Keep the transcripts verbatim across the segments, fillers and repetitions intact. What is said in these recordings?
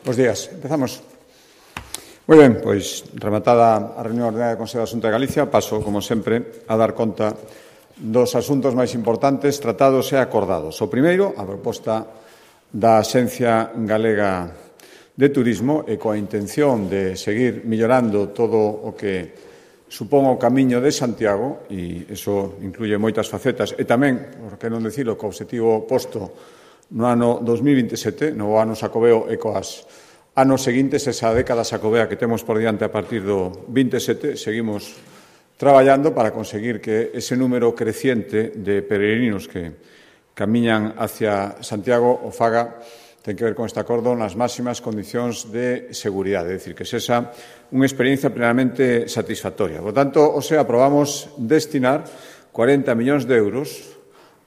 Bos días. Empezamos. Moi ben, pois, rematada a reunión ordenaria do Consello da Xunta de Galicia, paso, como sempre, a dar conta dos asuntos máis importantes tratados e acordados. O primeiro, a proposta da Axencia Galega de Turismo e coa intención de seguir millorando todo o que supón o camiño de Santiago, e iso incluye moitas facetas, e tamén, por que non dicilo, co obxectivo posto no ano dos mil vinte e sete, no ano Xacobeo e coas anos seguintes, esa década Xacobea que temos por diante a partir do vinte e sete, seguimos traballando para conseguir que ese número creciente de peregrinos que camiñan hacia Santiago o faga, ten que ver con este acordo, nas máximas condicións de seguridade, é dicir, que sexa unha experiencia plenamente satisfactoria. Por tanto, o sea, aprobamos destinar cuarenta millóns de euros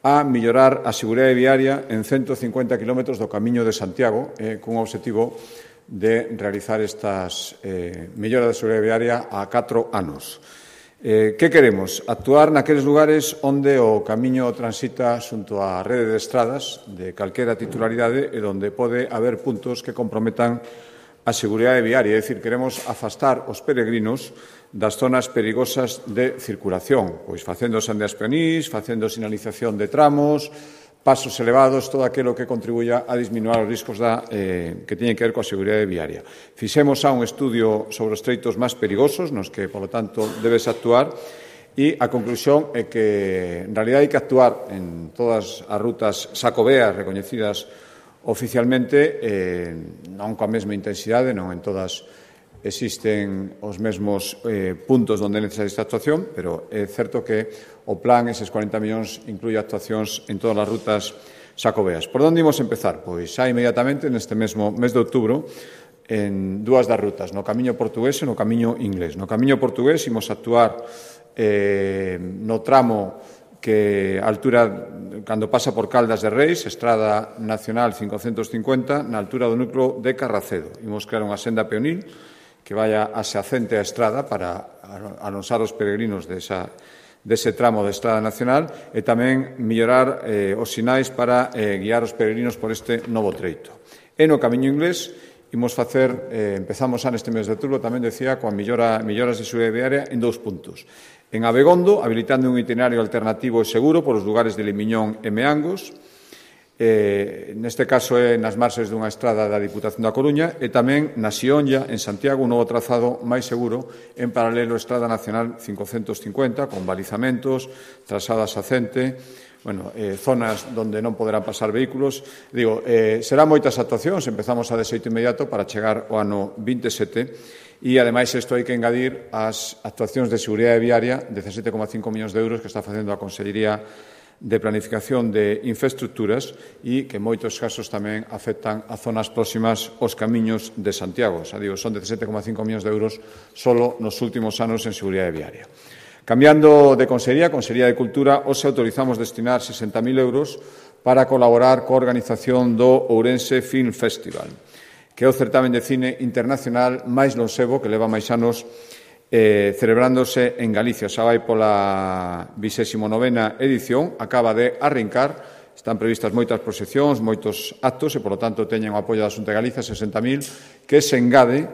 a mellorar a seguridade viaria en ciento cincuenta kilómetros do Camiño de Santiago, eh, cun obxectivo de realizar estas eh, melloras de seguridade viaria a catro anos. Eh, que queremos? Actuar naqueles lugares onde o camiño transita xunto á rede de estradas de calquera titularidade e onde pode haber puntos que comprometan a seguridade viaria. É dicir, queremos afastar os peregrinos das zonas perigosas de circulación, pois facendo sendas peonís, facendo sinalización de tramos, pasos elevados, todo aquilo que contribuya a disminuir os riscos da, eh, que teñen que ver coa seguridade viaria. Fixemos xa un estudio sobre os treitos máis perigosos, nos que, polo tanto, debes actuar, e a conclusión é que, en realidad, hai que actuar en todas as rutas xacobeas recoñecidas oficialmente, eh, non coa mesma intensidade, non en todas existen os mesmos eh, puntos onde é necesaria esta actuación, pero é certo que o plan, eses cuarenta millóns, incluye actuacións en todas as rutas xacobeas. Por onde imos empezar? Pois xa inmediatamente, neste mesmo mes de outubro, en dúas das rutas, no camiño portugués e no camiño inglés. No camiño portugués imos actuar eh, no tramo que a altura, cando pasa por Caldas de Reis, Estrada Nacional cincocentos cincuenta, na altura do núcleo de Carracedo. Imos crear unha senda peonil que vaya aseacente a estrada para alonsar os peregrinos desa, dese tramo de Estrada Nacional e tamén mellorar eh, os sinais para eh, guiar os peregrinos por este novo treito. E no camiño inglés imos facer, eh, empezamos xa neste mes de outubro, tamén decía, coa mellora, melloras de seguridade viaria en dous puntos. En Abegondo, habilitando un itinerario alternativo e seguro por os lugares de Limiñón e Meangos, eh, neste caso é nas marxes dunha estrada da Diputación da Coruña, e tamén na Xionlla, en Santiago, un novo trazado máis seguro en paralelo á Estrada Nacional cincocentos cincuenta, con balizamentos, trazada xacente, bueno, eh, zonas onde non poderán pasar vehículos. Digo, eh, serán moitas actuacións, empezamos a de xeito inmediato para chegar ao ano vinte e sete, e, ademais, isto hai que engadir as actuacións de seguridade viaria, dezasete coma cinco millóns de euros que está facendo a Consellería de Planificación de Infraestructuras e que en moitos casos tamén afectan a zonas próximas aos camiños de Santiago. Xa digo, son dezasete coma cinco millóns de euros solo nos últimos anos en seguridade viaria. Cambiando de Consellería, Consellería de Cultura, hoxe autorizamos destinar sesenta mil euros para colaborar coa organización do Ourense Film Festival, que é o certamen de cine internacional máis lonxevo que leva máis anos Eh, celebrándose en Galicia. Xa vai pola vixésima novena edición, acaba de arrincar, están previstas moitas proxeccións, moitos actos e, polo tanto, teñen o apoio da Xunta de Galicia, sesenta mil, que se engade,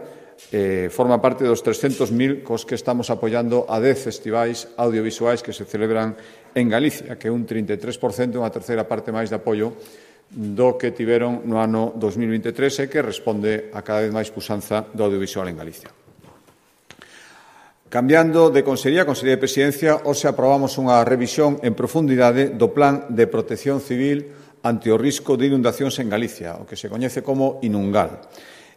eh, forma parte dos trescentos mil cos que estamos apoiando a dez festivais audiovisuais que se celebran en Galicia, que é un trinta e tres por cento, unha terceira parte máis de apoio do que tiveron no ano dos mil vinte e tres e que responde a cada vez máis puxanza do audiovisual en Galicia. Cambiando de Consellería, Consellería de Presidencia, hoxe aprobamos unha revisión en profundidade do Plan de Protección Civil ante o risco de inundacións en Galicia, o que se coñece como Inungal.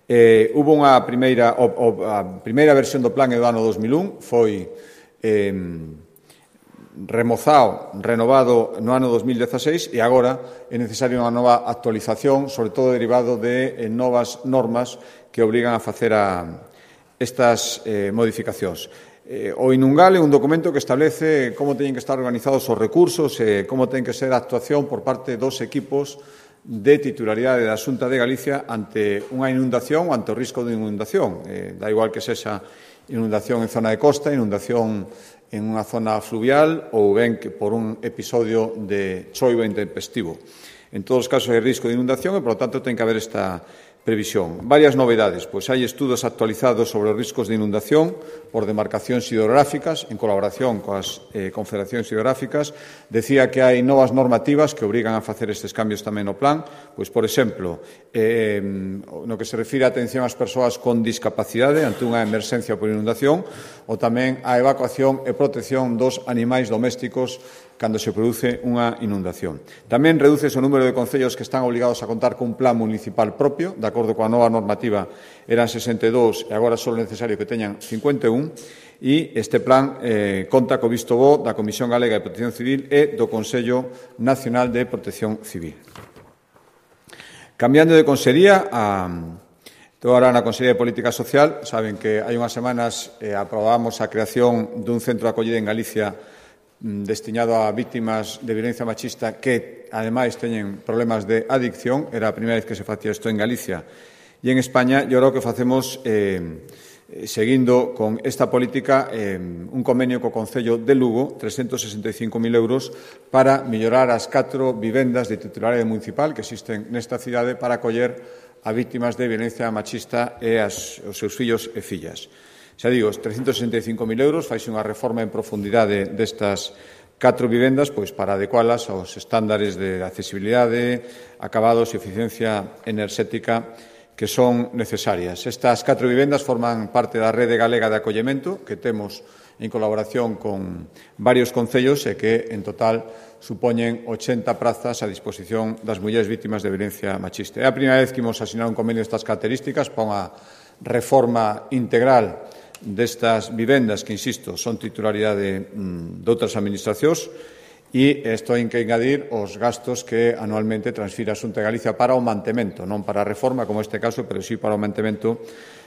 Eh, hubo unha primeira, o, o, a primeira versión do plan é do ano dos mil un, foi eh, remozado, renovado no ano dos mil dezaseis e agora é necesaria unha nova actualización, sobre todo derivado de eh, novas normas que obrigan a facer a estas eh, modificacións. Eh, o Inungal é un documento que establece como teñen que estar organizados os recursos e como ten que ser a actuación por parte dos equipos de titularidade da Xunta de Galicia ante unha inundación ou ante o risco de inundación. Eh, da igual que sexa inundación en zona de costa, inundación en unha zona fluvial ou ben que por un episodio de choiva intempestivo. En todos os casos hai risco de inundación e, por lo tanto, ten que haber esta previsión. Varias novedades, pois hai estudos actualizados sobre os riscos de inundación por demarcacións hidrográficas, en colaboración coas eh, confederacións hidrográficas. Decía que hai novas normativas que obrigan a facer estes cambios tamén no plan, pois, por exemplo, eh, no que se refire a atención ás persoas con discapacidade ante unha emerxencia por inundación, ou tamén a evacuación e protección dos animais domésticos cando se produce unha inundación. Tamén reduce o número de concellos que están obligados a contar cun plan municipal propio, de acordo coa nova normativa eran sesenta e dous e agora só é necesario que teñan cincuenta e un, e este plan eh, conta co visto bo da Comisión Galega de Protección Civil e do Consello Nacional de Protección Civil. Cambiando de consellería, a, estou agora na Consellería de Política Social, saben que hai unhas semanas eh, aprobamos a creación dun centro de acollida en Galicia destinado a vítimas de violencia machista que, ademais, teñen problemas de adicción. Era a primeira vez que se facía isto en Galicia e en España. E agora o que facemos, eh, seguindo con esta política, eh, un convenio co Concello de Lugo, trescentos sesenta e cinco mil euros, para mellorar as catro vivendas de titularidade municipal que existen nesta cidade para acoller a vítimas de violencia machista e as, os seus fillos e fillas. Xa digo, trescentos sesenta e cinco mil euros, faise unha reforma en profundidade destas catro vivendas, pois para adecualas aos estándares de accesibilidade, acabados e eficiencia enerxética que son necesarias. Estas catro vivendas forman parte da rede galega de acollemento que temos en colaboración con varios concellos e que, en total, supoñen ochenta prazas a disposición das mulleres vítimas de violencia machista. É a primeira vez que imos asinar un convenio destas características para unha reforma integral destas vivendas que, insisto, son titularidade mm, de outras administracións, e isto hai que engadir os gastos que anualmente transfira a Xunta de Galicia para o mantemento, non para a reforma, como este caso, pero sí para o mantemento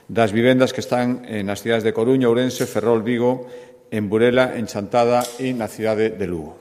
das vivendas que están nas cidades de Coruña, Ourense, Ferrol, Vigo, en Burela, en Chantada e na cidade de Lugo.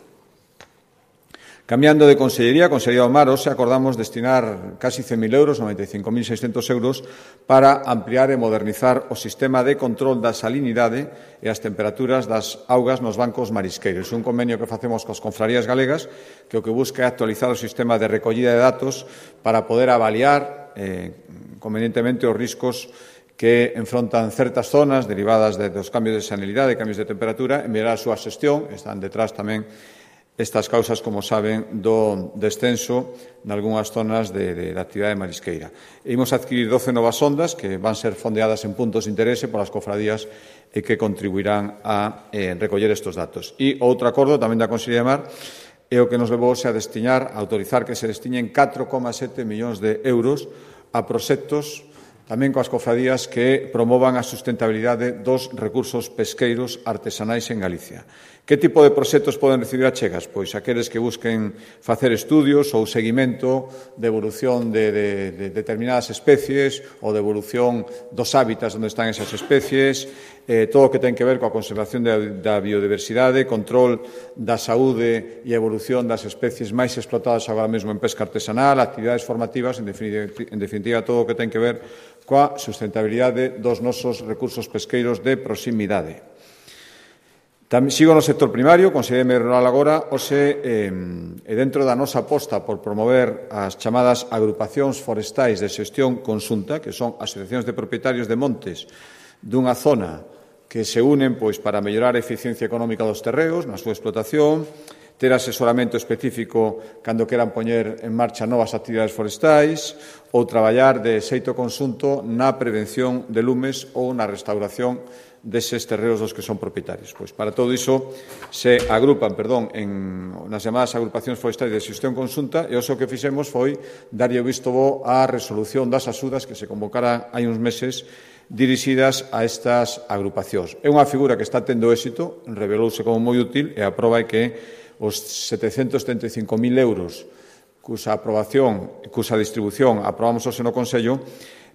Cambiando de consellería, a Consellería do Mar, hoxe acordamos destinar casi cen mil euros, noventa e cinco mil seiscentos euros, para ampliar e modernizar o sistema de control da salinidade e as temperaturas das augas nos bancos marisqueiros. Un convenio que facemos coas confrarías galegas que o que busca é actualizar o sistema de recollida de datos para poder avaliar eh, convenientemente os riscos que enfrontan certas zonas derivadas de, dos cambios de salinidade, cambios de temperatura, e mellorar a súa xestión. Están detrás tamén estas causas, como saben, do descenso nalgúnas zonas de, de, de actividade marisqueira. E imos adquirir doce novas sondas que van ser fondeadas en puntos de interese polas cofradías e que contribuirán a eh, recoller estes datos. E outro acordo tamén da Consellería de Mar é o que nos levou a destinar, a autorizar que se destinen catro coma sete millóns de euros a proxectos tamén coas cofradías que promovan a sustentabilidade dos recursos pesqueiros artesanais en Galicia. Que tipo de proxectos poden recibir achegas? Pois aqueles que busquen facer estudios ou seguimento de evolución de, de, de determinadas especies ou de evolución dos hábitats onde están esas especies, eh, todo o que ten que ver coa conservación da, da biodiversidade, control da saúde e evolución das especies máis explotadas agora mesmo en pesca artesanal, actividades formativas, en definitiva, en definitiva todo o que ten que ver coa sustentabilidade dos nosos recursos pesqueiros de proximidade. Tamén sigo no sector primario, conselleiro rural agora, hoxe, eh, e dentro da nosa aposta por promover as chamadas agrupacións forestais de xestión conxunta, que son asociacións de propietarios de montes dunha zona que se unen pois para mellorar a eficiencia económica dos terreos na súa explotación, ter asesoramento específico cando queran poñer en marcha novas actividades forestais ou traballar de xeito conxunto na prevención de lumes ou na restauración deses terreos dos que son propietarios. Pois para todo iso se agrupan, perdón, en, nas chamadas agrupacións forestais de xestión conxunta, e o que fixemos foi darlle o visto bo á resolución das axudas que se convocara hai uns meses dirixidas a estas agrupacións. É unha figura que está tendo éxito, revelouse como moi útil, e a proba é que os setecentos setenta e cinco mil euros cusa aprobación, cusa distribución aprobamos hoxe no Consello,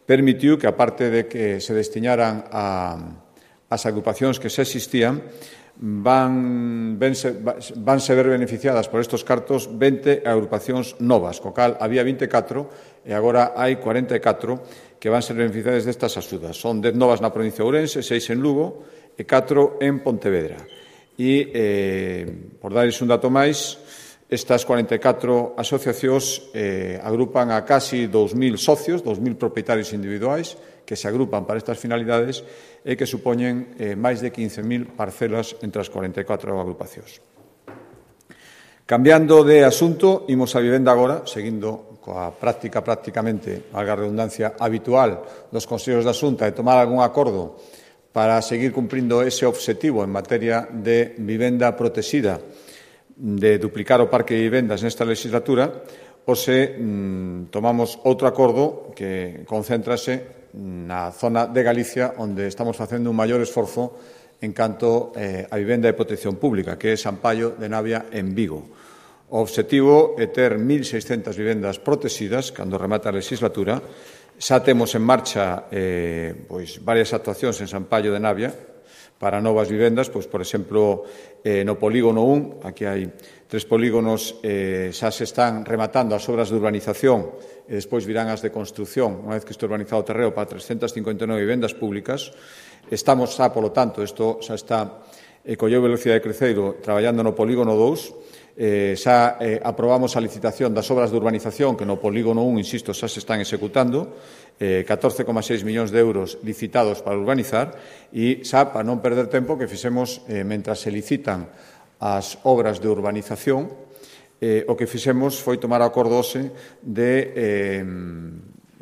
permitiu que, aparte de que se destinaran a as agrupacións que xa existían, van, vense, vanse ver beneficiadas por estes cartos vinte agrupacións novas, co cal había vinte e catro e agora hai cuarenta e catro que van ser beneficiadas destas axudas. Son dez novas na provincia de Ourense, seis en Lugo e catro en Pontevedra. E, eh, por darles un dato máis, Estas cuarenta e catro asociacións eh, agrupan a casi dous mil socios, dous mil propietarios individuais que se agrupan para estas finalidades e que supoñen eh, máis de quince mil parcelas entre as cuarenta e catro agrupacións. Cambiando de asunto, imos a vivenda agora, seguindo coa práctica prácticamente, valga a redundancia, habitual dos Consellos da Xunta de tomar algún acordo para seguir cumprindo ese obxectivo en materia de vivenda protexida, de duplicar o parque de vivendas nesta legislatura, ou se mm, tomamos outro acordo que concéntrase na zona de Galicia onde estamos facendo un maior esforzo en canto eh, a vivenda de protección pública, que é San Paio de Navia en Vigo. O obxectivo é ter mil seiscentas vivendas protegidas cando remata a legislatura. Xa temos en marcha eh, pois, varias actuacións en San Paio de Navia para novas vivendas, pois, por exemplo, eh, no polígono un, aquí hai tres polígonos, eh, xa se están rematando as obras de urbanización e despois virán as de construción, unha vez que este urbanizado o terreo, para trescentas cincuenta e nove vivendas públicas. Estamos xa, polo tanto, isto xa está, eh, colleu velocidade de cruceiro, traballando no polígono dous, eh, xa eh, aprobamos a licitación das obras de urbanización que no polígono un, insisto, xa se están executando, eh, catorce coma seis millóns de euros licitados para urbanizar e xa, para non perder tempo, que fixemos, eh, mentras se licitan as obras de urbanización, eh, o que fixemos foi tomar acordo hoxe de eh,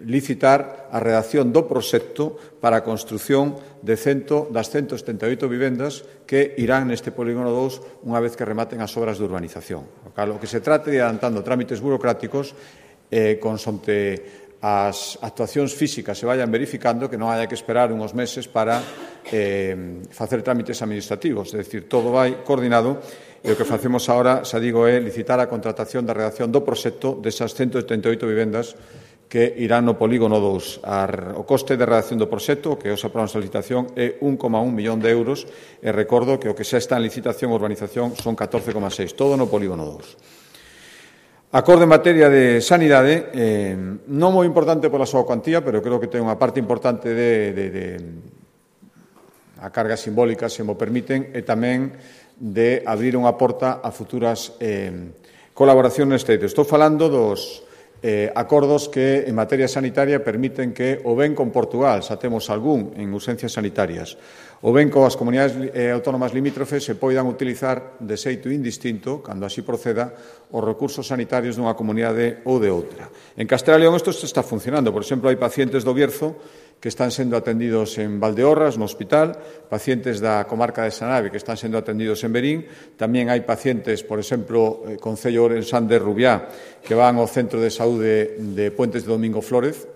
licitar a redacción do proxecto para a construción de cento, das ciento setenta e oito vivendas que irán neste polígono dous unha vez que rematen as obras de urbanización. O que se trata de adelantando trámites burocráticos eh, consonte as actuacións físicas se vayan verificando, que non haya que esperar unhos meses para eh, facer trámites administrativos. É dicir, todo vai coordinado e o que facemos agora, xa digo, é licitar a contratación da redacción do proxecto desas ciento setenta e oito vivendas que irán no polígono dous. O coste de redacción do proxecto, que os aprobamos a licitación, é un coma un millón de euros e recordo que o que xa está en licitación e urbanización son catorce coma seis, todo no polígono dous. Acordo en materia de sanidade, eh, non moi importante pola súa cuantía, pero creo que ten unha parte importante de, de, de a carga simbólica, se mo permiten, e tamén de abrir unha porta a futuras eh, colaboracións neste eido. Estou falando dos eh, acordos que en materia sanitaria permiten que o ben con Portugal, xa temos algún en urxencias sanitarias, o ben coas comunidades eh, autónomas limítrofes se poidan utilizar de xeito indistinto, cando así proceda, os recursos sanitarios dunha comunidade ou de outra. En Castela e León isto está funcionando. Por exemplo, hai pacientes do Bierzo que están sendo atendidos en Valdeorras, no hospital, pacientes da comarca de Sanave que están sendo atendidos en Verín, tamén hai pacientes, por exemplo, eh, Concello Ourensán de Rubiá, que van ao Centro de Saúde de Puentes de Domingo Flórez,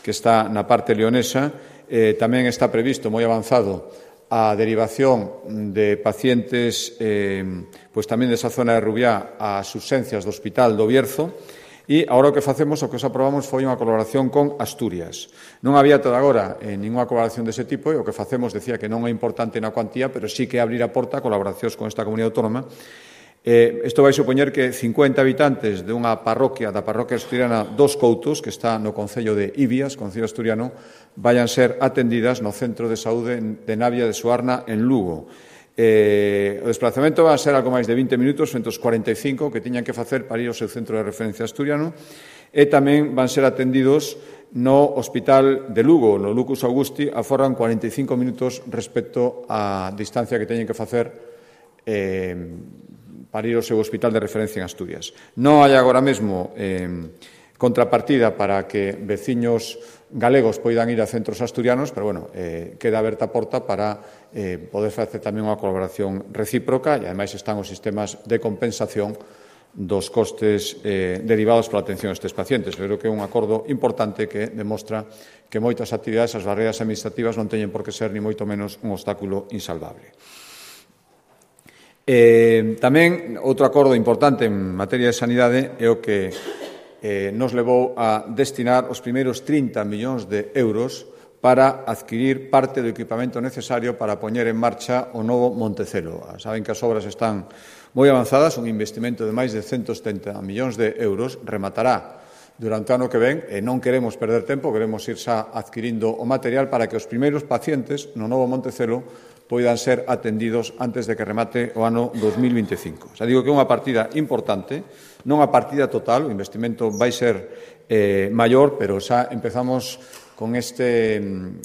que está na parte leonesa. Eh, tamén está previsto, moi avanzado, a derivación de pacientes eh, pois tamén desa zona de Rubiá ás urxencias do Hospital do Bierzo. E agora o que facemos, o que os aprobamos, foi unha colaboración con Asturias. Non había toda agora eh, ninguna colaboración dese tipo e o que facemos, decía que non é importante na cuantía, pero sí que abrir a porta a colaboracións con esta comunidade autónoma. Eh, isto vai supoñer que cincuenta habitantes de unha parroquia, da parroquia asturiana dos Coutos, que está no concello de Ibias, concello asturiano, vayan ser atendidas no Centro de Saúde de Navia de Suarna, en Lugo. Eh, o desplazamento va a ser algo máis de vinte minutos, frente aos cuarenta e cinco que tiñan que facer para ir ao seu centro de referencia asturiano, e tamén van ser atendidos no Hospital de Lugo, no Lucus Augusti, aforran cuarenta e cinco minutos respecto á distancia que teñen que facer eh, para ir ao seu hospital de referencia en Asturias. Non hai agora mesmo eh, contrapartida para que veciños galegos poidan ir a centros asturianos, pero, bueno, eh, queda aberta a porta para eh, poder facer tamén unha colaboración recíproca e, ademais, están os sistemas de compensación dos costes eh, derivados pola atención a estes pacientes. Eu creo que é un acordo importante que demostra que moitas actividades, as barreras administrativas, non teñen por que ser, ni moito menos, un obstáculo insalvable. Eh, tamén, outro acordo importante en materia de sanidade é o que eh, nos levou a destinar os primeiros trinta millóns de euros para adquirir parte do equipamento necesario para poñer en marcha o novo Montecelo. Saben que as obras están moi avanzadas, un investimento de máis de ciento setenta millóns de euros, rematará durante o ano que ven, e non queremos perder tempo, queremos ir xa adquirindo o material para que os primeiros pacientes no novo Montecelo poidan ser atendidos antes de que remate o ano dos mil vinte e cinco. Xa digo que é unha partida importante, non a partida total, o investimento vai ser eh, maior, pero xa empezamos con, este,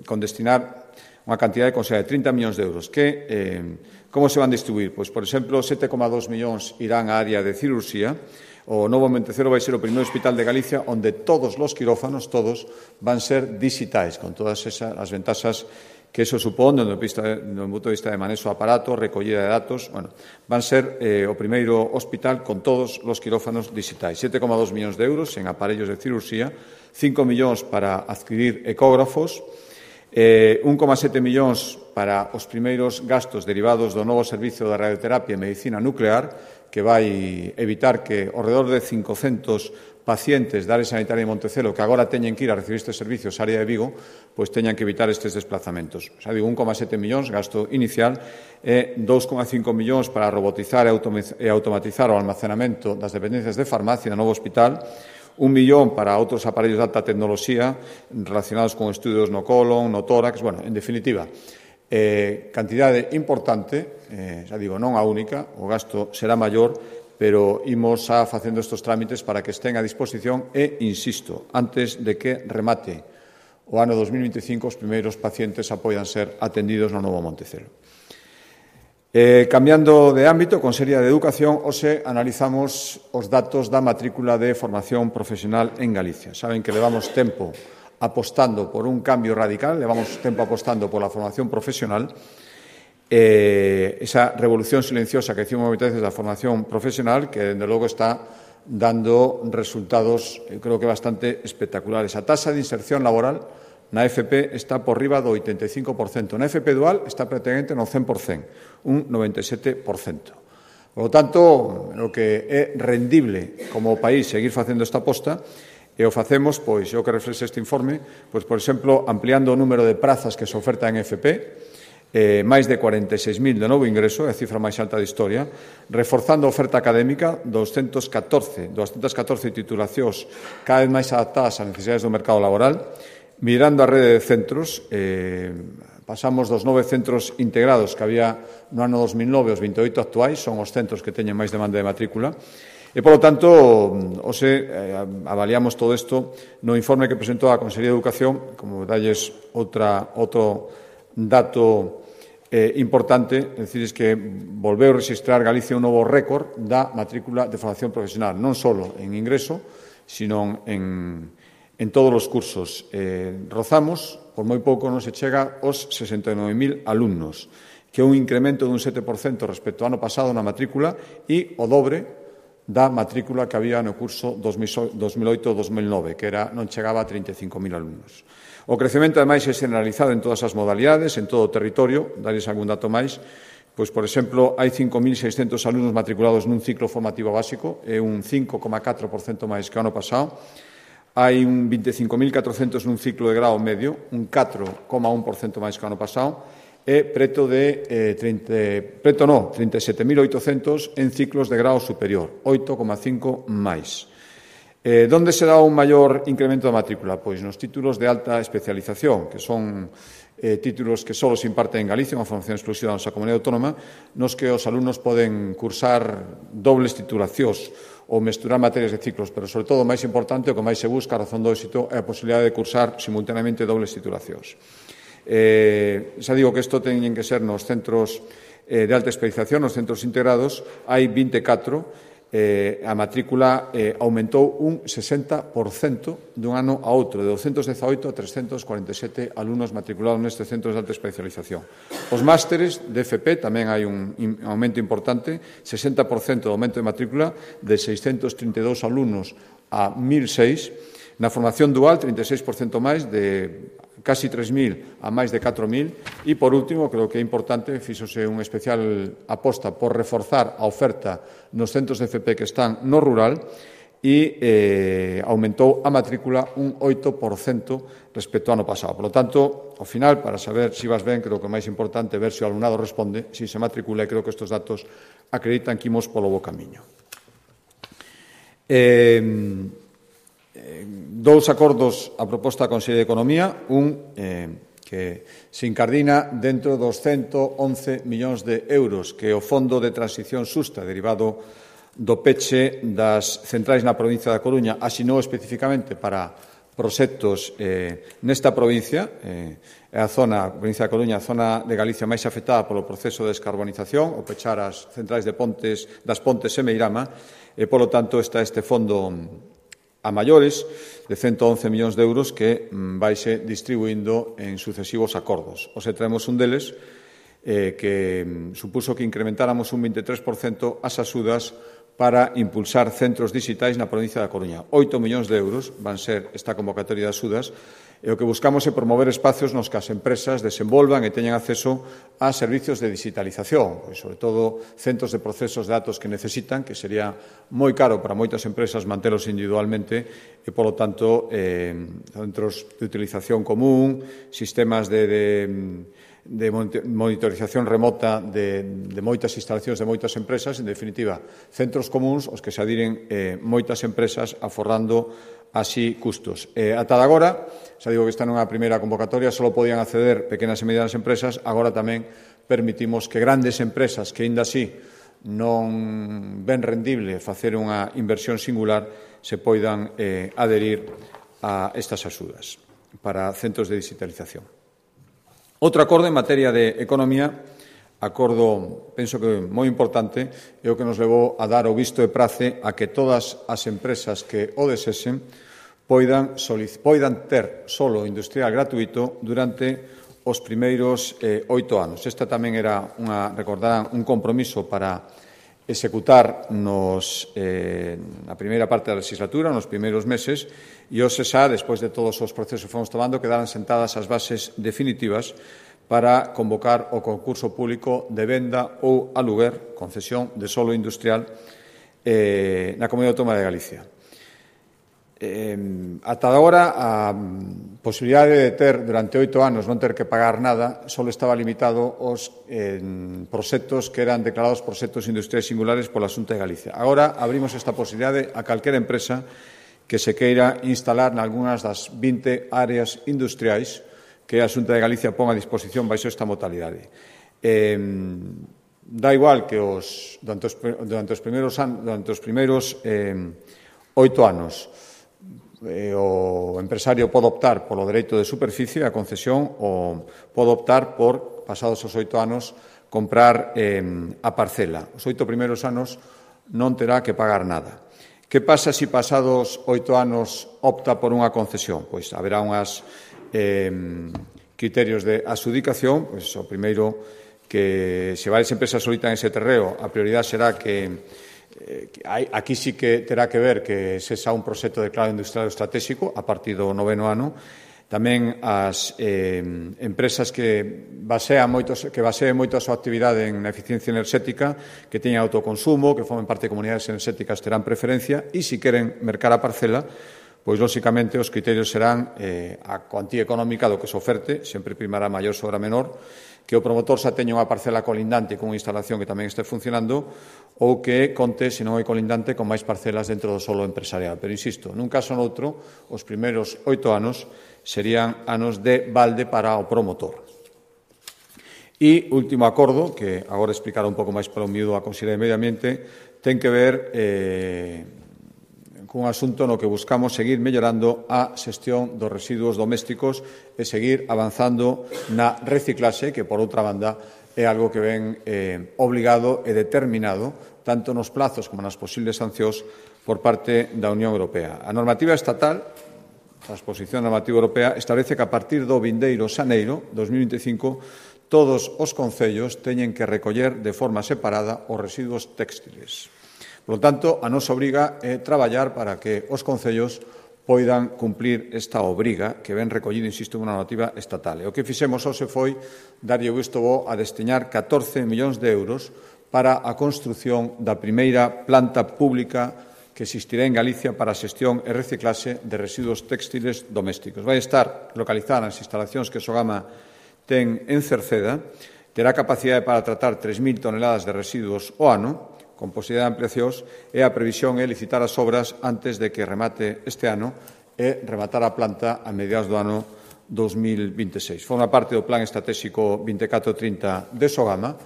con destinar unha cantidade de considerable de trinta millóns de euros que, eh, como se van a distribuir? Pois, por exemplo, sete coma dos millóns irán á área de cirurxía. O novo Montecelo vai ser o primeiro hospital de Galicia onde todos os quirófanos, todos, van ser digitais, con todas esas, as ventaxas que eso supón, do punto de vista de manexo de aparatos, recollida de datos. Bueno, van ser eh, o primeiro hospital con todos os quirófanos digitais. sete coma dos millóns de euros en aparellos de cirurxía, cinco millóns para adquirir ecógrafos, eh, un coma sete millóns para os primeiros gastos derivados do novo servicio de radioterapia e medicina nuclear, que vai evitar que ao redor de cincocentos pacientes da área sanitaria de Montecelo que agora teñen que ir a recibir estes servicios á área de Vigo, pois teñan que evitar estes desplazamentos. Xa digo, un coma sete millóns, gasto inicial, e dous coma cinco millóns para robotizar e automatizar o almacenamento das dependencias de farmacia no novo hospital, un millón para outros aparellos de alta tecnoloxía relacionados con estudios no colon, no tórax, bueno, en definitiva, Eh, cantidade importante, eh, xa digo, non a única, o gasto será maior, pero imos a facendo estes trámites para que estén a disposición e, insisto, antes de que remate o ano dos mil vinte e cinco os primeiros pacientes apoian ser atendidos no novo Montecelo. Eh, cambiando de ámbito, con Consellería de Educación, hoxe analizamos os datos da matrícula de formación profesional en Galicia. Saben que levamos tempo apostando por un cambio radical, levamos tempo apostando por la formación profesional, eh, esa revolución silenciosa que decimos moitas veces da formación profesional, que, desde logo, está dando resultados, eh, creo que bastante espectaculares. A tasa de inserción laboral na F P está por riba do oitenta e cinco por cento. Na F P dual está prácticamente no cen por cento, un noventa e sete por cento. Por lo tanto, o que é rendible como país seguir facendo esta aposta. E o facemos, pois, o que reflexe este informe, pois, por exemplo, ampliando o número de prazas que se oferta en F P, eh, máis de cuarenta e seis mil de novo ingreso, é a cifra máis alta da historia, reforzando a oferta académica, doscientas catorce titulacións cada vez máis adaptadas ás necesidades do mercado laboral, mirando a rede de centros, eh, pasamos dos nove centros integrados que había no ano dos mil nove aos vinte e oito actuais, son os centros que teñen máis demanda de matrícula. E, polo tanto, hoxe eh, avaliamos todo isto no informe que presentou a Consellería de Educación, como dalles outra, outro dato eh, importante, é dicir, que volveu registrar Galicia un novo récord da matrícula de formación profesional, non só en ingreso, sino en, en todos os cursos. Eh, rozamos, por moi pouco non se chega aos sesenta e nove mil alumnos, que é un incremento dun sete por cento respecto ao ano pasado na matrícula e o dobre da matrícula que había no curso dos mil oito dos mil nove, que era, non chegaba a trinta e cinco mil alumnos. O crecemento, ademais, é generalizado en todas as modalidades, en todo o territorio. Darles algún dato máis. Pois, por exemplo, hai cinco mil seiscentos alumnos matriculados nun ciclo formativo básico, é un cinco coma catro por cento máis que o ano pasado. Hai un veinticinco mil catrocentos nun ciclo de grao medio, un catro coma un por cento máis que o ano pasado, e preto de eh, trinta, preto no, trinta e sete mil oitocentos en ciclos de grao superior, oito coma cinco máis. Eh, donde se dá un maior incremento da matrícula? Pois nos títulos de alta especialización, que son eh, títulos que só se imparten en Galicia, unha formación exclusiva da nosa comunidade autónoma, nos que os alumnos poden cursar dobles titulacións ou mesturar materias de ciclos, pero, sobre todo, o máis importante, o que máis se busca, a razón do éxito, é a posibilidade de cursar simultaneamente dobles titulacións. Eh, xa digo que isto teñen que ser nos centros eh, de alta especialización, nos centros integrados, hai vinte e catro, eh, a matrícula eh, aumentou un sesenta por cento dun ano a outro, de douscentos dezaoito a trescentos cuarenta e sete alumnos matriculados nestes centros de alta especialización. Os másteres de F P tamén hai un aumento importante, sesenta por cento de aumento de matrícula, de seiscentos trinta e dous alumnos a mil seis. Na formación dual, trinta e seis por cento máis, de casi tres mil a máis de catro mil. E, por último, creo que é importante, fíxose unha especial aposta por reforzar a oferta nos centros de F P que están no rural e eh, aumentou a matrícula un oito por cento respecto ao ano pasado. Por lo tanto, ao final, para saber se vas ben, creo que o máis importante é ver se o alumnado responde, se se matricula, e creo que estes datos acreditan que imos polo bo camiño. Eh, dous acordos a proposta da Consellería de Economía, un eh, que que se incardina dentro dos ciento once millóns de euros que o Fondo de Transición Xusta, derivado do peche das centrais na provincia da Coruña, asinou especificamente para proxectos eh, nesta provincia, eh, é a zona, a provincia da Coruña, a zona de Galicia máis afectada polo proceso de descarbonización, o pechar as centrais de Pontes, das Pontes e Meirama, e, polo tanto, está este fondo a maiores de ciento once millóns de euros que vaise distribuindo en sucesivos acordos. Os traemos un deles eh, que supuso que incrementáramos un veintitrés por cento as axudas para impulsar centros digitais na provincia da Coruña. oito millóns de euros van ser esta convocatoria de axudas e o que buscamos é promover espacios nos que as empresas desenvolvan e teñan acceso a servicios de digitalización, pois, sobre todo centros de procesos de datos que necesitan, que sería moi caro para moitas empresas mantelos individualmente e, polo tanto, eh, centros de utilización común, sistemas de, de de monitorización remota de, de moitas instalacións de moitas empresas, en definitiva, centros comuns aos que se adiren eh, moitas empresas aforrando así custos. Eh, ata agora, xa digo que esta non é a primeira convocatoria, só podían acceder pequenas e medianas empresas, agora tamén permitimos que grandes empresas que, aínda así, non ven rendible facer unha inversión singular, se poidan eh, aderir a estas axudas para centros de digitalización. Outro acordo en materia de economía, acordo, penso que moi importante, é o que nos levou a dar o visto e prace a que todas as empresas que o desesen poidan, poidan ter solo industrial gratuito durante os primeiros eh, oito anos. Esta tamén era, unha, recordarán, un compromiso para executar nos, eh, na primeira parte da legislatura, nos primeiros meses, e hoxe xa, despois de todos os procesos que fomos tomando, quedaran sentadas as bases definitivas para convocar o concurso público de venda ou aluguer, concesión de solo industrial, eh, na Comunidade Autónoma de Galicia. Eh, ata agora, a posibilidade de ter, durante oito anos, non ter que pagar nada, só estaba limitado aos eh, proxectos que eran declarados proxectos industriais singulares pola Xunta de Galicia. Agora, abrimos esta posibilidade a calquera empresa que se queira instalar nalgúnas das vinte áreas industriais que a Xunta de Galicia pon a disposición baixo esta modalidade. Eh, dá igual que os, durante, os, durante os primeiros, durante os primeiros eh, oito anos eh, o empresario pode optar polo dereito de superficie, a concesión, ou pode optar por, pasados os oito anos, comprar eh, a parcela. Os oito primeiros anos non terá que pagar nada. Que pasa se pasados oito anos opta por unha concesión? Pois haberá unhas eh, criterios de adxudicación. Pois o primeiro, que se varias empresas solitan ese terreo, a prioridade será que, eh, que hai, aquí sí que terá que ver que se xa un proxecto declarado industrial estratégico a partir do noveno ano. Tamén as eh, empresas que basean moitos, que baseen moito a súa actividade en eficiencia enerxética, que teñan autoconsumo, que formen parte de comunidades enerxéticas, terán preferencia, e se queren mercar a parcela, pois, lóxicamente, os criterios serán eh, a cuantía económica do que se oferte, sempre primará maior sobre a menor, que o promotor xa teña unha parcela colindante con unha instalación que tamén este funcionando, ou que conte, se non é colindante, con máis parcelas dentro do solo empresarial. Pero, insisto, nun caso ou noutro, os primeiros oito anos serían anos de balde para o promotor. E, último acordo, que agora explicará un pouco máis para o miúdo a Consellería de Medio Ambiente, ten que ver eh, cun asunto no que buscamos seguir mellorando a xestión dos residuos domésticos e seguir avanzando na reciclaxe, que, por outra banda, é algo que ven eh, obligado e determinado tanto nos plazos como nas posibles sancións por parte da Unión Europea. A normativa estatal, a exposición normativa europea, establece que a partir do vindeiro xaneiro dos mil vinte e cinco todos os concellos teñen que recoller de forma separada os residuos téxtiles. Por lo tanto, a nosa obriga é traballar para que os concellos poidan cumplir esta obriga que ven recollida, insisto, en unha normativa estatal. E o que fixemos hoxe foi darlle o visto bo a destiñar catorce millóns de euros para a construción da primeira planta pública que existirá en Galicia para a xestión e reciclaxe de residuos téxtiles domésticos. Vai estar localizada nas instalacións que Sogama ten en Cerceda, terá capacidade para tratar tres mil toneladas de residuos ao ano, con posibilidade de ampliacións, e a previsión é licitar as obras antes de que remate este ano e rematar a planta a mediados do ano dos mil veintiséis. Forma parte do Plan Estratégico veinticuatro trinta de Sogama,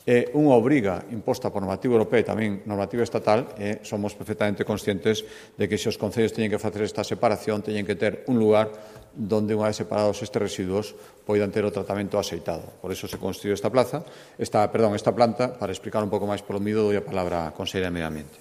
é unha obriga imposta por normativa europea e tamén normativa estatal, e somos perfectamente conscientes de que se os concellos teñen que facer esta separación, teñen que ter un lugar donde, unha vez separados estes residuos, poidan ter o tratamento axeitado. Por iso se construiu esta plaza, esta, perdón, esta planta, para explicar un pouco máis polo miúdo, dou a palabra á conselleira de Medio Ambiente.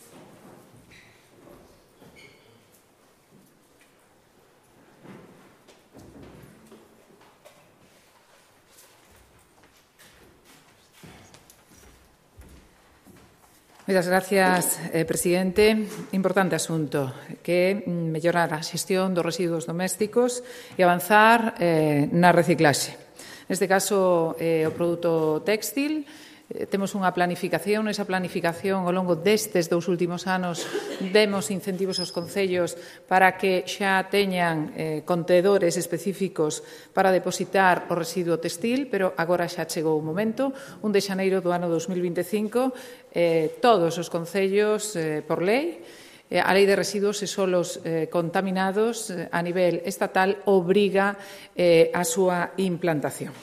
Moitas gracias, eh, presidente. Importante asunto, que é mellorar a xestión dos residuos domésticos e avanzar eh, na reciclaxe. Neste caso, eh, o produto téxtil, eh, temos unha planificación, esa planificación ao longo destes dous últimos anos demos incentivos aos concellos para que xa teñan eh, contedores específicos para depositar o residuo textil, pero agora xa chegou o momento, un de xaneiro do ano dos mil veinticinco, eh, todos os concellos, eh, por lei, eh, a Lei de Residuos e Solos eh, Contaminados eh, a nivel estatal obriga eh, a súa implantación.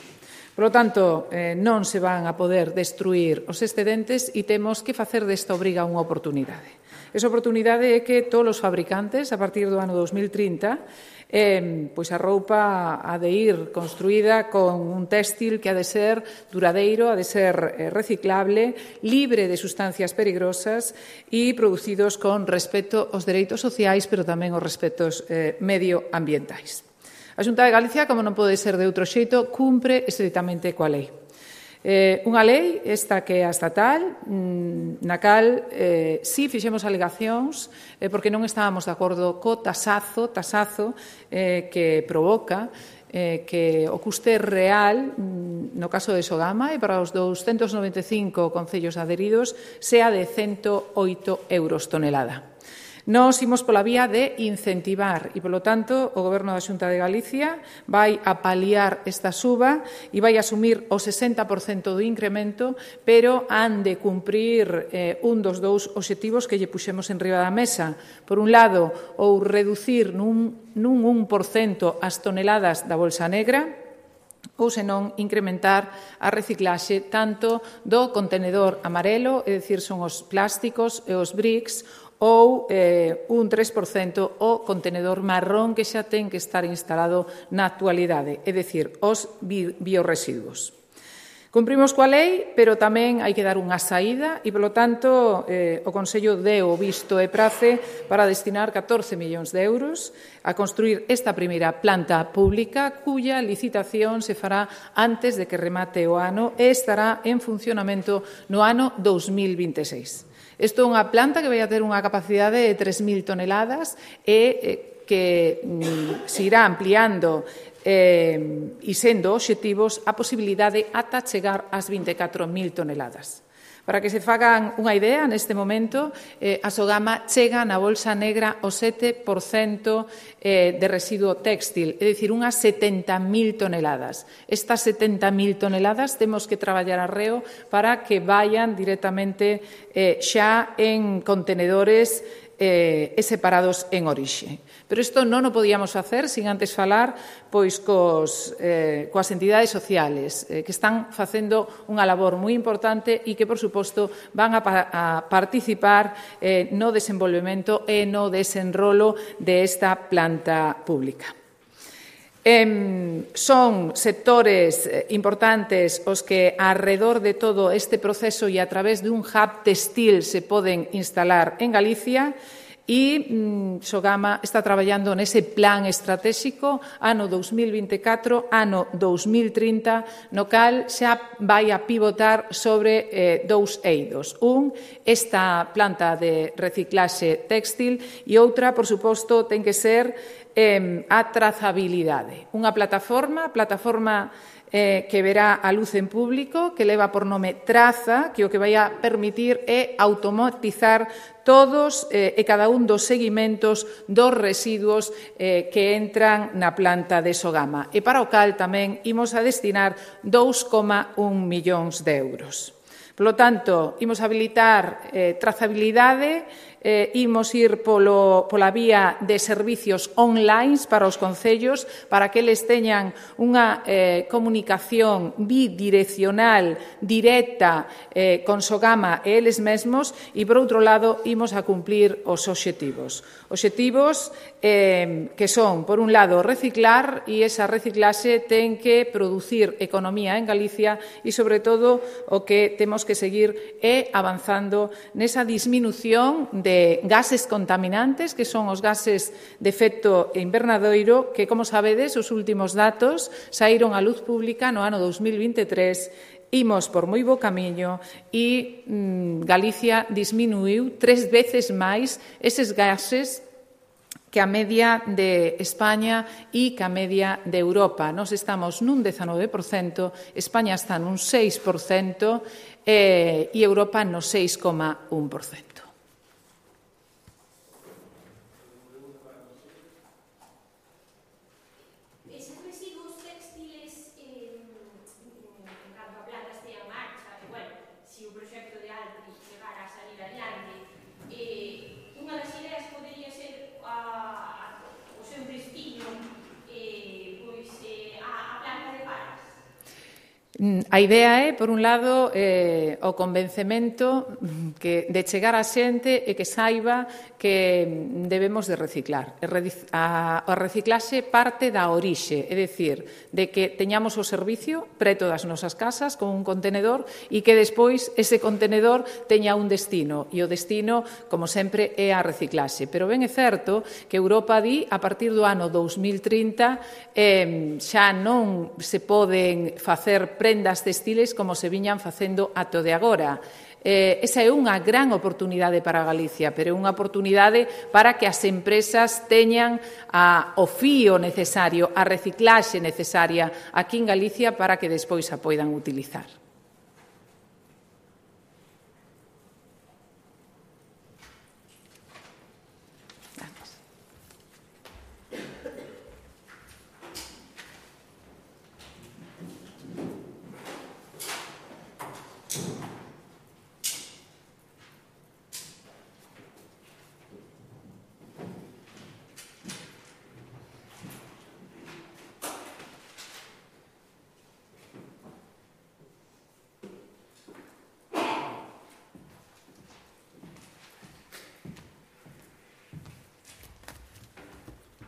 Por lo tanto, eh, non se van a poder destruir os excedentes e temos que facer desta obriga unha oportunidade. Esa oportunidade é que todos os fabricantes, a partir do ano dos mil trinta, eh, pois a roupa ha de ir construída con un téxtil que ha de ser duradeiro, ha de ser eh, reciclable, libre de sustancias peligrosas e producidos con respecto aos dereitos sociais, pero tamén aos respectos eh, medioambientais. A Xunta de Galicia, como non pode ser de outro xeito, cumpre estritamente coa lei. Eh, unha lei, esta que é a estatal, na cal eh, si fixemos alegacións eh, porque non estábamos de acordo co tasazo, tasazo eh, que provoca eh, que o custe real, no caso de Sogama, e para os doscentos noventa e cinco concellos adheridos, sea de cento oito euros tonelada. Nos imos pola vía de incentivar e, polo tanto, o Goberno da Xunta de Galicia vai a paliar esta suba e vai a asumir o sesenta por cento do incremento, pero han de cumprir eh, un dos dous obxectivos que lle puxemos en riba da mesa. Por un lado, ou reducir nun, nun un por cento as toneladas da bolsa negra, ou senón incrementar a reciclaxe tanto do contenedor amarelo, é dicir, son os plásticos e os bricks, ou eh, un tres por cento o contenedor marrón que xa ten que estar instalado na actualidade, é dicir, os bi biorresiduos. Cumprimos coa lei, pero tamén hai que dar unha saída e, polo tanto, eh, o Consello deu o visto e prace para destinar catorce millóns de euros a construir esta primeira planta pública cuya licitación se fará antes de que remate o ano e estará en funcionamento no ano dos mil veintiséis. Isto é unha planta que vai a ter unha capacidade de tres mil toneladas e eh, que mm, se irá ampliando eh, e sendo obxectivos a posibilidade ata chegar ás vinte e catro mil toneladas. Para que se fagan unha idea, neste momento, eh, a Sogama chega na bolsa negra o sete por cento eh, de residuo téxtil, é dicir, unhas setenta mil toneladas. Estas setenta mil toneladas temos que traballar arreo para que vayan directamente eh, xa en contenedores eh, e separados en orixe. Pero isto non o podíamos facer sin antes falar pois cos, eh, coas entidades sociales eh, que están facendo unha labor moi importante e que, por suposto, van a, a participar eh, no desenvolvemento e no desenrolo desta planta pública. Eh, son sectores importantes os que arredor de todo este proceso e a través de un hub textil se poden instalar en Galicia e mm, Sogama está traballando nese plan estratégico ano dos mil veinticatro, ano dos mil trinta, no cal xa vai a pivotar sobre eh, dous eidos. Un, esta planta de reciclaxe téxtil e outra, por suposto, ten que ser eh, a trazabilidade. Unha plataforma, plataforma eh, que verá a luz en público, que leva por nome Traza, que o que vai a permitir é automatizar todos eh, e cada un dos seguimentos dos residuos eh, que entran na planta de Sogama. E para o cal tamén imos a destinar dous coma un millóns de euros. Por lo tanto, imos habilitar eh, trazabilidade eh, imos ir polo, pola vía de servicios online para os concellos, para que eles teñan unha eh, comunicación bidireccional, directa, eh, con Sogama e eles mesmos, e, por outro lado, imos a cumplir os obxectivos. Obxectivos eh, que son, por un lado, reciclar, e esa reciclaxe ten que producir economía en Galicia e, sobre todo, o que temos que seguir é avanzando nesa disminución de gases contaminantes, que son os gases de efecto invernadoiro, que, como sabedes, os últimos datos saíron á luz pública no ano dos mil vinte e tres. Imos por moi bo camiño e mm, Galicia disminuiu tres veces máis eses gases que a media de España e que a media de Europa. Nos estamos nun dezanove por cento, España está nun seis por cento eh, e Europa no seis coma un por cento. A idea é, por un lado, eh, o convencemento que de chegar a xente e que saiba que debemos de reciclar. A, a reciclaxe parte da orixe, é dicir, de que teñamos o servicio preto das nosas casas con un contenedor e que despois ese contenedor teña un destino. E o destino, como sempre, é a reciclaxe. Pero ben é certo que Europa di, a partir do ano dous mil trinta, eh, xa non se poden facer prendas textiles como se viñan facendo ato de agora. Eh, esa é unha gran oportunidade para Galicia, pero é unha oportunidade para que as empresas teñan a, o fío necesario, a reciclaxe necesaria aquí en Galicia para que despois a poidan utilizar.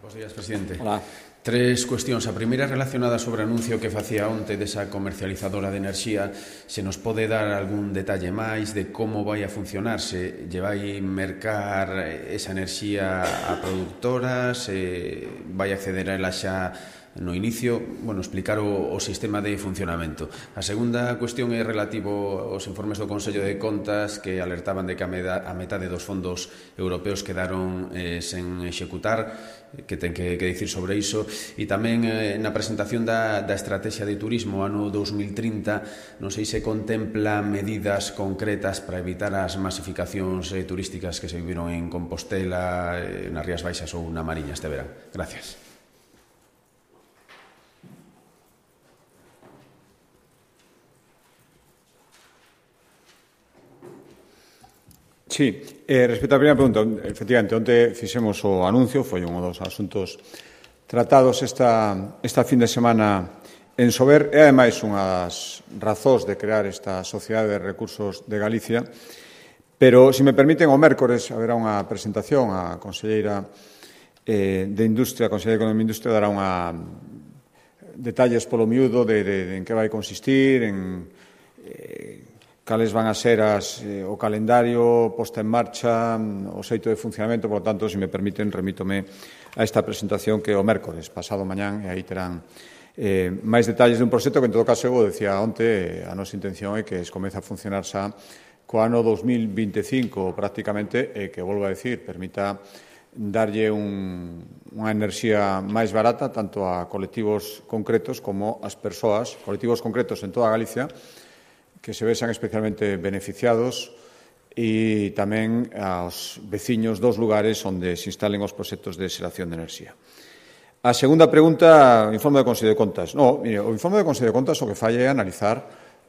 Bos días, presidente. Hola. Tres cuestións. A primeira relacionada sobre o anuncio que facía onte desa comercializadora de enerxía. Se nos pode dar algún detalle máis de como vai a funcionar? Se lle vai mercar esa enerxía a productoras? Se vai acceder a ela xa no inicio? Bueno, explicar o, o sistema de funcionamento. A segunda cuestión é relativo aos informes do Consello de Contas que alertaban de que a, meda, a metade dos fondos europeos quedaron eh, sen executar, que ten que, que dicir sobre iso, e tamén eh, na presentación da, da estrategia de turismo ano dos mil trinta, non sei se contempla medidas concretas para evitar as masificacións eh, turísticas que se viviron en Compostela, eh, nas Rías Baixas ou na Mariña este verán. Gracias. Sí, eh, respecto á primeira pregunta, efectivamente, onte fixemos o anuncio, foi un dos asuntos tratados esta, esta fin de semana en Sober, e ademais unha das razóns de crear esta Sociedade de Recursos de Galicia, pero, se me permiten, o mércores haberá unha presentación, a conselleira eh, de Industria, a conselleira de Economía e Industria dará unha detalles polo miúdo de, de, de en que vai consistir, en eh, cales van a ser as, eh, o calendario posta en marcha, o xeito de funcionamento, por lo tanto, se me permiten, remítome a esta presentación que o mércores, pasado mañán, e aí terán eh, máis detalles de un proxecto que, en todo caso, eu decía onte, a nosa intención é que es comece a funcionar xa co ano dos mil vinte e cinco, prácticamente, e que, volvo a decir, permita darlle un, unha enerxía máis barata tanto a colectivos concretos como as persoas, colectivos concretos en toda Galicia, que se vexan especialmente beneficiados e tamén aos veciños dos lugares onde se instalen os proxectos de xeración de enerxía. A segunda pregunta, o informe do Consello de Contas. No, mire, o informe do Consello de Contas o que falla é analizar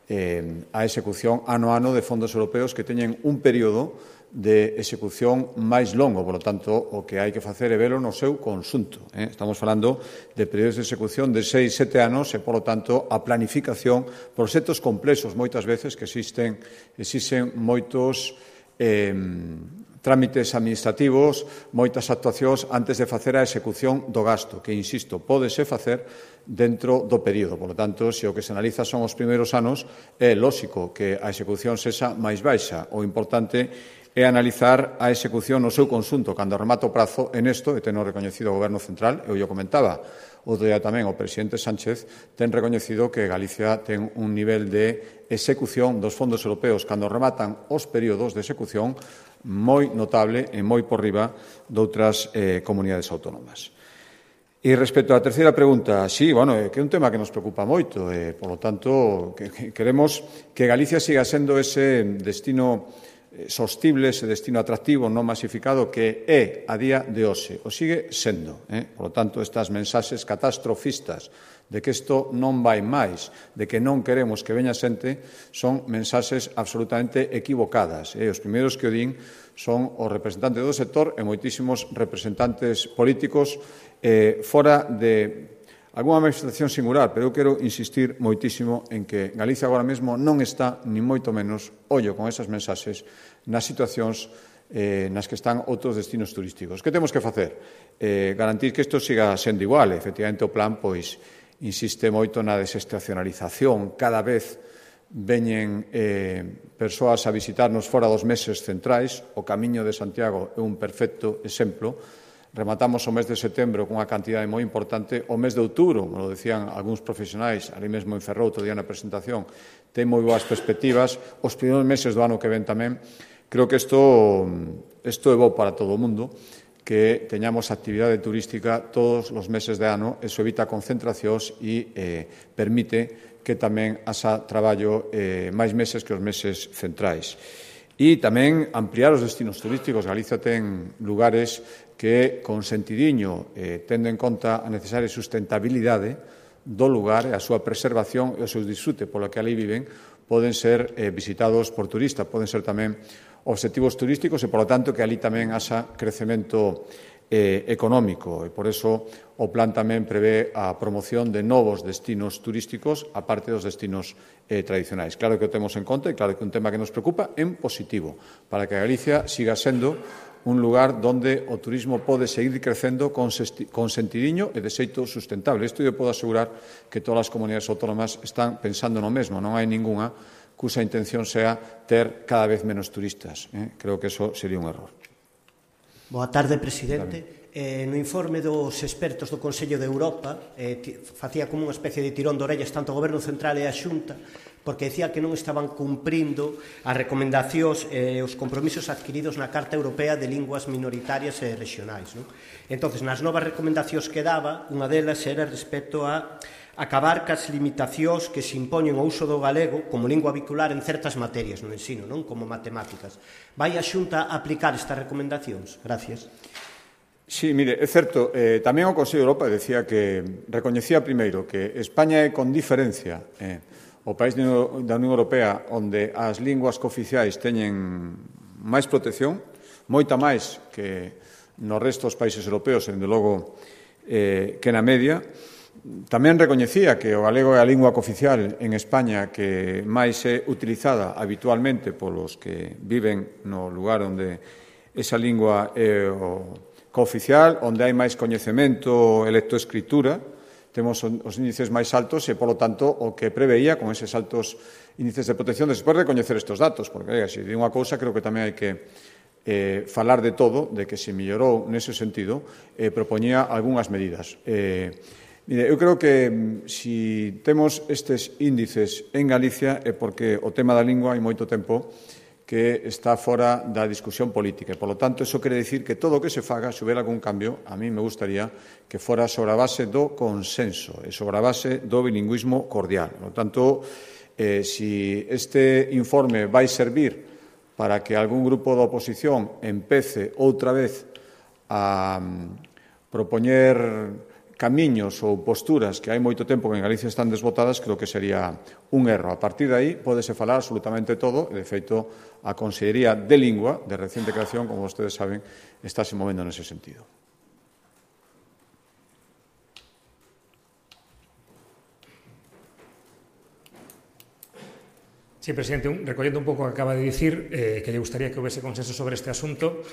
eh, a execución ano a ano de fondos europeos que teñen un período de execución máis longo, por lo tanto, o que hai que facer é velo no seu conxunto. Eh? Estamos falando de períodos de execución de seis, sete anos e, por lo tanto, a planificación, proxectos complexos moitas veces que existen, existen moitos eh, trámites administrativos, moitas actuacións antes de facer a execución do gasto, que, insisto, pódese facer dentro do período. Por lo tanto, se o que se analiza son os primeiros anos, é lóxico que a execución sexa máis baixa. O importante é analizar a execución no seu conxunto. Cando remata o prazo, en isto, e ten recoñecido o Goberno Central, eu o comentaba, outro día tamén o presidente Sánchez ten recoñecido que Galicia ten un nivel de execución dos fondos europeos cando rematan os períodos de execución moi notable e moi por riba doutras eh, comunidades autónomas. E respecto á terceira pregunta, sí, bueno, que é un tema que nos preocupa moito, e, por lo tanto, que, que queremos que Galicia siga sendo ese destino sostible, ese destino atractivo non masificado que é a día de hoxe. O sigue sendo. Eh? Por lo tanto, estas mensaxes catastrofistas de que isto non vai máis, de que non queremos que veña xente, son mensaxes absolutamente equivocadas. Eh? Os primeiros que o din son os representantes do sector e moitísimos representantes políticos eh, fora de algunha manifestación singular, pero eu quero insistir moitísimo en que Galicia agora mesmo non está, ni moito menos, ollo con esas mensaxes, nas situacións eh, nas que están outros destinos turísticos. Que temos que facer? Eh, garantir que isto siga sendo igual. Efectivamente, o plan, pois, insiste moito na desestacionalización. Cada vez veñen eh, persoas a visitarnos fora dos meses centrais. O Camiño de Santiago é un perfecto exemplo. Rematamos o mes de setembro cunha cantidade moi importante. O mes de outubro, como lo decían algúns profesionais, ali mesmo en Ferrol, outro día na presentación, ten moi boas perspectivas. Os primeiros meses do ano que ven tamén. Creo que isto, isto é bo para todo o mundo, que teñamos actividade turística todos os meses de ano. Eso evita concentracións e eh, permite que tamén haxa traballo eh, máis meses que os meses centrais. E tamén ampliar os destinos turísticos. Galicia ten lugares que, con sentidiño, eh, tendo en conta a necesaria sustentabilidade do lugar e a súa preservación e o seu disfrute polo que ali viven, poden ser eh, visitados por turistas, poden ser tamén obxectivos turísticos e, por lo tanto, que ali tamén haxa crecemento eh, económico. E, por eso, o plan tamén prevé a promoción de novos destinos turísticos aparte dos destinos eh, tradicionais. Claro que o temos en conta e claro que é un tema que nos preocupa en positivo, para que Galicia siga sendo un lugar donde o turismo pode seguir crecendo con sentidiño e de xeito sustentable. Isto eu podo asegurar que todas as comunidades autónomas están pensando no mesmo. Non hai ningunha cusa intención sea ter cada vez menos turistas. Eh? Creo que eso sería un error. Boa tarde, presidente. Eh, no informe dos expertos do Consello de Europa eh, facía como unha especie de tirón de orellas tanto o Goberno Central e a Xunta, porque decía que non estaban cumprindo as recomendacións e eh, os compromisos adquiridos na Carta Europea de Linguas Minoritarias e Regionais. Non? Entón, nas novas recomendacións que daba, unha delas era respecto a acabar cas limitacións que se impoñen ao uso do galego como lingua vehicular en certas materias no ensino, non como matemáticas. Vai a Xunta a aplicar estas recomendacións? Gracias. Sí, mire, é certo, eh, tamén o Consello de Europa decía que recoñecía primeiro que España é con diferencia eh, o país da Unión Europea onde as linguas cooficiais teñen máis protección, moita máis que no resto dos países europeos, dende logo eh, que na media. Tamén recoñecía que o galego é a lingua cooficial en España que máis é utilizada habitualmente polos que viven no lugar onde esa lingua é o cooficial, onde hai máis coñecemento e lectoescritura, temos os índices máis altos e, polo tanto, o que preveía con eses altos índices de protección, despois de recoñecer estes datos, porque, oiga, se di unha cousa, creo que tamén hai que eh, falar de todo, de que se mellorou nese sentido, eh, propoñía algunhas medidas. Eh, mire, eu creo que si temos estes índices en Galicia é porque o tema da lingua hai moito tempo que está fora da discusión política. E, por lo tanto, eso quere dicir que todo o que se faga, se houbera algún cambio, a mí me gustaría que fora sobre a base do consenso e sobre a base do bilingüismo cordial. Por lo tanto, eh, si este informe vai servir para que algún grupo da oposición empece outra vez a um, propoñer camiños ou posturas que hai moito tempo que en Galicia están desbotadas, creo que sería un erro. A partir de aí, pódese falar absolutamente todo, e, de feito, a Consellería de Lingua, de reciente creación, como vostedes saben, está se movendo nese sentido. Sí, presidente, un, recollendo un pouco o que acaba de dicir, eh, que lle gustaría que houvese consenso sobre este asunto.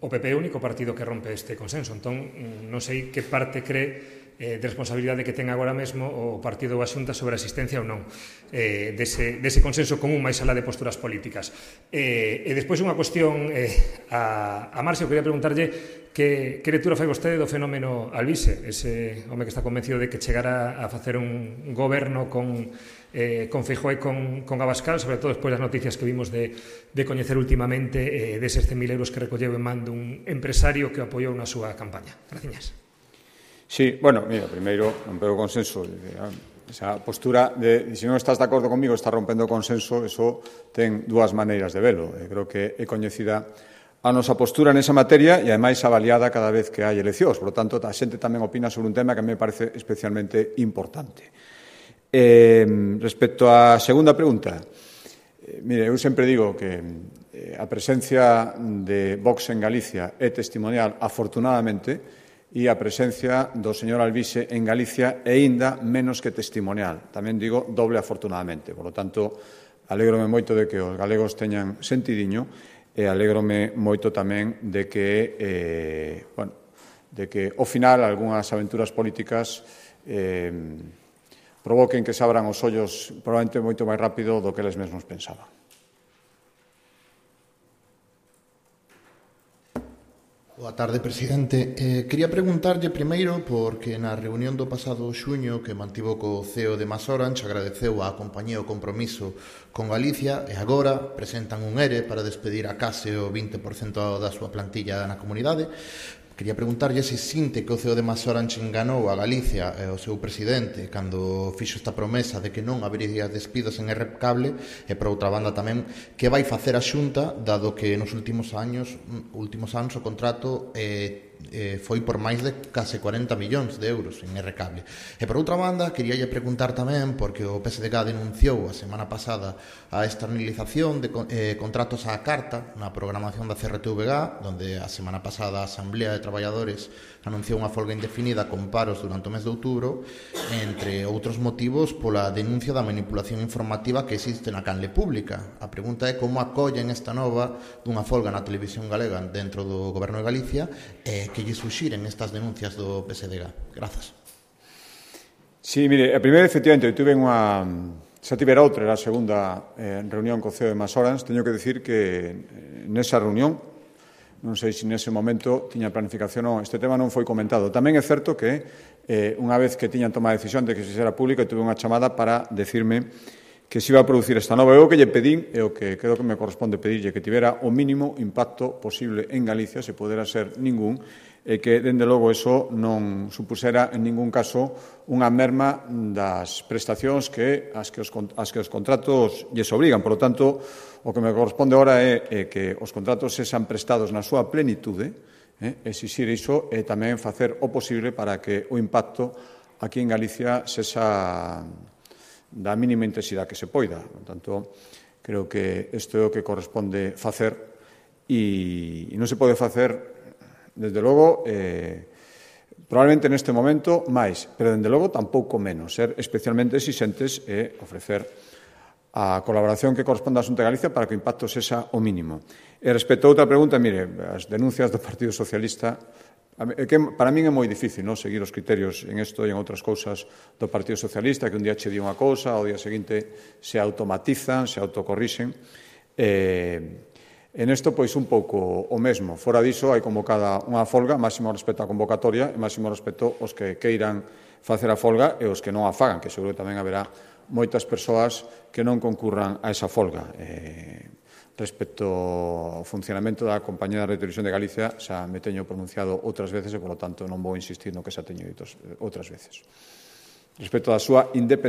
O P P é o único partido que rompe este consenso. Entón, non sei que parte cree eh, de responsabilidade que ten agora mesmo o partido ou a Xunta sobre a existencia ou non eh, dese, dese consenso común máis alá de posturas políticas. Eh, e despois unha cuestión eh, a, a Marcio, quería preguntarlle que, que lectura fai vostede do fenómeno Alvise, ese home que está convencido de que chegara a facer un goberno con Eh, con Feijóo e con, con Abascal, sobre todo despois das noticias que vimos de, de coñecer últimamente eh, deses cen mil euros que recolleu en man dun empresario que apoiou na súa campaña. Graciñas. Sí, bueno, mira, primeiro, rompeu o consenso. Esa postura de, se non estás de acordo comigo, está rompendo o consenso, eso ten dúas maneiras de velo. Eu creo que é coñecida a nosa postura nesa materia e, ademais, avaliada cada vez que hai eleccións. Por lo tanto, a xente tamén opina sobre un tema que a mí me parece especialmente importante. Eh, respecto á segunda pregunta, eh, mire, eu sempre digo que eh, a presencia de Vox en Galicia é testimonial, afortunadamente, e a presencia do señor Alvise en Galicia é aínda menos que testimonial. Tamén digo doble afortunadamente. Por lo tanto, alégrome moito de que os galegos teñan sentidiño e alégrome moito tamén de que, eh, bueno, de que, ao final, algunhas aventuras políticas eh, provoquen que se abran os ollos probablemente moito máis rápido do que eles mesmos pensaban. Boa tarde, presidente. Eh, quería preguntarlle primeiro porque na reunión do pasado xuño que mantivo co C E O de MasOrange agradeceu a compañía o compromiso con Galicia e agora presentan un ERE para despedir a case o vinte por cento da súa plantilla na comunidade. Quería preguntarlle se sinte que o C E O de MasOrange enganou a Galicia e o seu presidente cando fixo esta promesa de que non habería despidos en R Cable e, por outra banda, tamén que vai facer a Xunta dado que nos últimos anos últimos anos o contrato eh, eh, foi por máis de case cuarenta millóns de euros en R Cable. E, por outra banda, queríalle preguntar tamén porque o P S D G denunciou a semana pasada a externalización de eh, contratos á carta na programación da C R T V G, donde a semana pasada a Asamblea de Traballadores anunciou unha folga indefinida con paros durante o mes de outubro, entre outros motivos pola denuncia da manipulación informativa que existe na canle pública. A pregunta é como acollen esta nova dunha folga na televisión galega dentro do Goberno de Galicia e que lle suxiren estas denuncias do P S D G. Grazas. Sí, mire, a primeira, efectivamente, eu tuve unha... Xa tivera outra, era a segunda eh, reunión co C E O de MasOrange. Teño que decir que eh, nesa reunión, non sei se nese momento tiña planificación ou non, este tema non foi comentado. Tamén é certo que eh, unha vez que tiñan tomado a decisión de que se xera público, tuve unha chamada para decirme que se iba a producir esta nova. Eu o que lle pedín, e o que creo que me corresponde pedirlle, que tivera o mínimo impacto posible en Galicia, se podera ser ningún, e que, dende logo, eso non supusera en ningún caso unha merma das prestacións que as que os, as que os contratos lles obrigan. Por lo tanto, o que me corresponde agora é, é que os contratos sexan prestados na súa plenitude, eh, exixir iso e tamén facer o posible para que o impacto aquí en Galicia sexa da mínima intensidade que se poida. Por tanto, creo que isto é o que corresponde facer e, e non se pode facer, desde logo, eh, probablemente neste momento máis, pero dende logo tampouco menos, ser especialmente exixentes e ofrecer a colaboración que corresponde á Xunta de Galicia para que o impacto sexa o mínimo. E respecto a outra pregunta, mire, as denuncias do Partido Socialista, que para min é moi difícil, non, seguir os criterios en isto e en outras cousas do Partido Socialista, que un día che di unha cousa, ao día seguinte se automatizan, se autocorrixen. Eh, En isto, pois, un pouco o mesmo. Fora diso, hai convocada unha folga, máximo respecto á convocatoria e máximo respecto aos que queiran facer a folga e os que non a fagan, que seguro que tamén haberá moitas persoas que non concurran a esa folga. Eh, respecto ao funcionamento da Compañía de Radio e Televisión de Galicia, xa me teño pronunciado outras veces e, polo tanto, non vou insistir no que xa teño dito outras veces. Respecto á súa independencia,